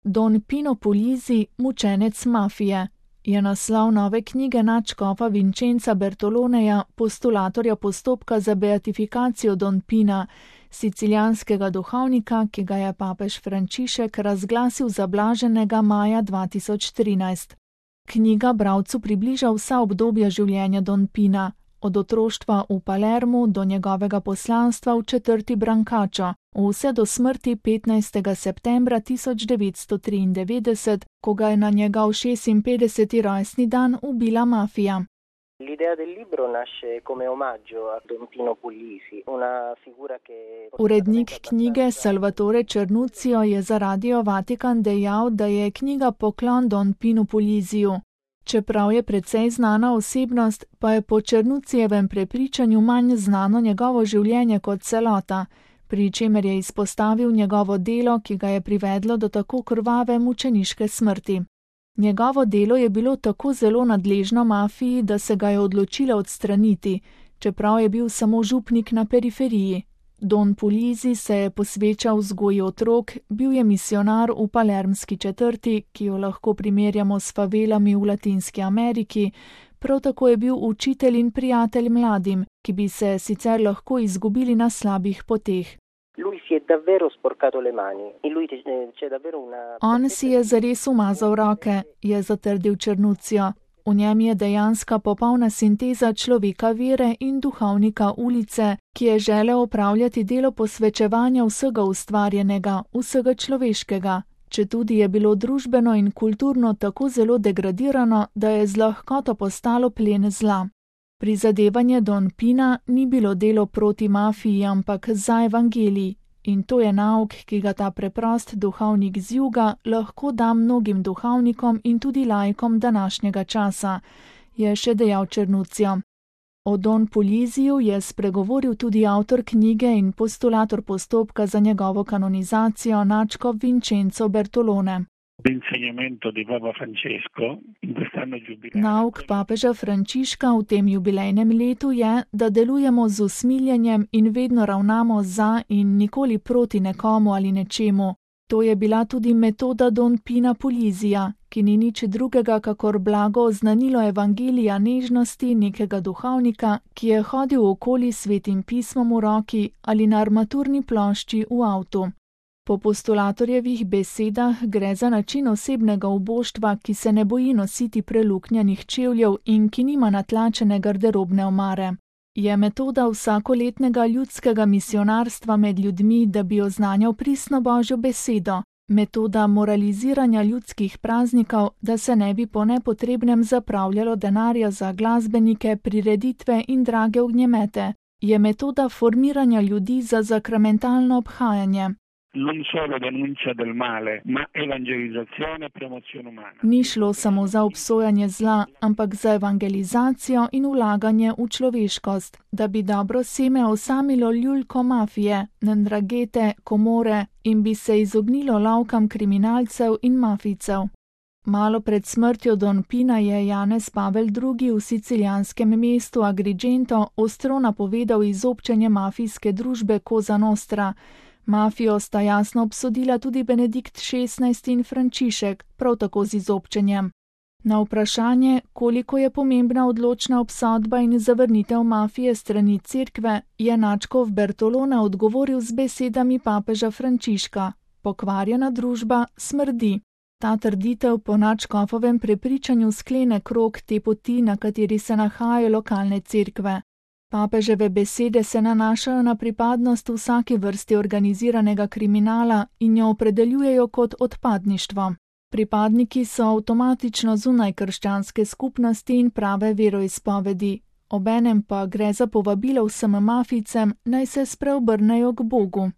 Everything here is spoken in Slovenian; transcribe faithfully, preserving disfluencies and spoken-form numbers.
Don Pino Puglisi, mučenec mafije, je naslov nove knjige nadškofa Vincenza Bertoloneja, postulatorja postopka za beatifikacijo Don Pina, sicilijanskega duhovnika, ki ga je papež Frančišek razglasil za blaženega maja dva tisoč trinajst. Knjiga bralcu približa vsa obdobja življenja Don Pina, od otroštva v Palermu do njegovega poslanstva v četrti Brancaccio, vse do smrti petnajstega septembra tisoč devetsto triindevetdeset, ko ga je na njegov šestinpetdeseti rojstni dan ubila mafija. L'idea del libro nasce come omaggio a Don Pino Puglisi, una figura che... Urednik knjige Salvatore Cernuccio je za Radio Vatikan dejal, da je knjiga poklon Don Pinu Puglisiju. Čeprav je precej znana osebnost, pa je po Cernuccijevem prepričanju manj znano njegovo življenje kot celota, pri čemer je izpostavil njegovo delo, ki ga je privedlo do tako krvave mučeniške smrti. Njegovo delo je bilo tako zelo nadležno mafiji, da se ga je odločila odstraniti, čeprav je bil samo župnik na periferiji. Don Puglisi se je posvečal vzgoji otrok, bil je misijonar v palermski četrti, ki jo lahko primerjamo s favelami v Latinski Ameriki, prav tako je bil učitelj in prijatelj mladim, ki bi se sicer lahko izgubili na slabih poteh. On si je zares umazal roke, je zatrdil Cernuccio. V njem je dejanska popolna sinteza človeka vere in duhovnika ulice, ki je želel opravljati delo posvečevanja vsega ustvarjenega, vsega človeškega, četudi je bilo družbeno in kulturno tako zelo degradirano, da je z lahkoto postalo plen zla. Prizadevanje Don Pina ni bilo delo proti mafiji, ampak za evangelij. In to je nauk, ki ga ta preprost duhovnik z juga lahko da mnogim duhovnikom in tudi laikom današnjega časa, je še dejal Cernuccio. O Don Puglisiju je spregovoril tudi avtor knjige in postulator postopka za njegovo kanonizacijo nadškof Vincenzo Bertolone. Nauk papeža Frančiška v tem jubilejnem letu je, da delujemo z usmiljenjem in vedno ravnamo za in nikoli proti nekomu ali nečemu. To je bila tudi metoda Don Pina Puglisija, ki ni nič drugega kakor blago oznanilo evangelija nežnosti nekega duhovnika, ki je hodil okoli svetim pismom v roki ali na armaturni plošči v avtu. Po postulatorjevih besedah gre za način osebnega uboštva, ki se ne boji nositi preluknjanih čevljev in ki nima natlačene garderobne omare. Je metoda vsakoletnega ljudskega misionarstva med ljudmi, da bi oznanjal pristno Božjo besedo, metoda moraliziranja ljudskih praznikov, da se ne bi po nepotrebnem zapravljalo denarja za glasbenike, prireditve in drage ognjemete, je metoda formiranja ljudi za sakramentalno obhajanje. Non solo denuncia del male, ma evangelizzazione e promozione umana. Ni šlo samo za obsojanje zla, ampak za evangelizacijo in vlaganje v človeškost, da bi dobro seme osamilo ljuljko mafije, ndragete, komore in bi se izognilo lovkam kriminalcev in mafijcev. Malo pred smrtjo Don Pina je Janez Pavel drugi v sicilijanskem mestu Agrigento ostro napovedal izobčenje mafijske družbe Cosa Nostra. Mafijo sta jasno obsodila tudi Benedikt šestnajsti in Frančišek, prav tako z izobčenjem. Na vprašanje, koliko je pomembna odločna obsodba in zavrnitev mafije strani cerkve, je nadškof Bertolone odgovoril z besedami papeža Frančiška: pokvarjena družba smrdi. Ta trditev po nadškofovem prepričanju sklene krog te poti, na kateri se nahajajo lokalne cerkve. Papeževe besede se nanašajo na pripadnost vsaki vrsti organiziranega kriminala in jo opredeljujejo kot odpadništvo. Pripadniki so avtomatično zunaj krščanske skupnosti in prave veroizpovedi, obenem pa gre za povabilo vsem mafijcem, naj se spreobrnejo k Bogu.